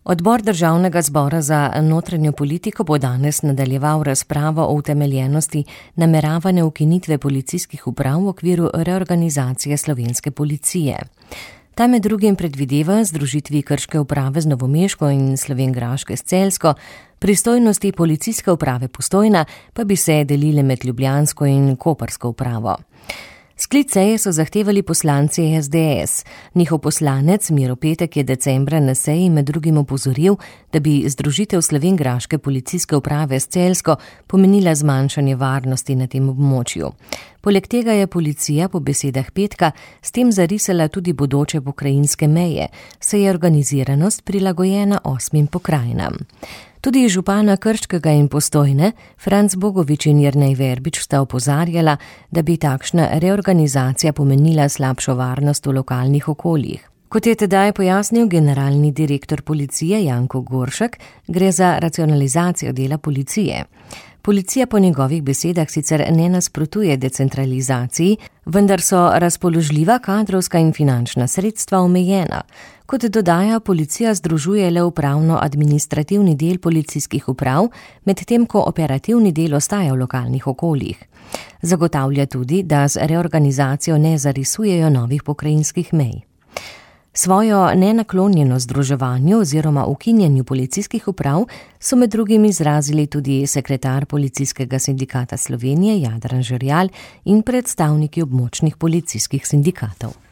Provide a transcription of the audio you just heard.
Odbor Državnega zbora za notranjo politiko bo danes nadaljeval razpravo o utemeljenosti nameravane ukinitve policijskih uprav v okviru reorganizacije slovenske policije. Ta med drugim predvideva združitvi Krške uprave z Novomeško in Slovenjgraške s Celjsko, pristojnosti policijske uprave Postojna pa bi se delile med Ljubljansko in Koprsko upravo. Sklic seje so zahtevali poslanci SDS. Njihov poslanec Miro Petek je decembra na seji med drugim opozoril, da bi združitev Slovenjgraške policijske uprave s Celjsko pomenila zmanjšanje varnosti na tem območju. Poleg tega je policija po besedah Petka s tem zarisala tudi bodoče pokrajinske meje, saj je organiziranost prilagojena 8 pokrajinam. Tudi župana Krškega in Postojne, Franc Bogovič in Jernej Verbič sta opozarjala, da bi takšna reorganizacija pomenila slabšo varnost v lokalnih okoljih. Kot je tedaj pojasnil generalni direktor policije Janko Goršek, gre za racionalizacijo dela policije. Policija po njegovih besedah sicer ne nasprotuje decentralizaciji, vendar so razpoložljiva kadrovska in finančna sredstva omejena. Kot dodaja, policija združuje le upravno-administrativni del policijskih uprav, medtem ko operativni del ostaja v lokalnih okoljih. Zagotavlja tudi, da z reorganizacijo ne zarisujejo novih pokrajinskih mej. Svojo nenaklonjenost združevanju oziroma ukinjanju policijskih uprav so med drugim izrazili tudi sekretar Policijskega sindikata Slovenije Jadran Žerjal in predstavniki območnih policijskih sindikatov.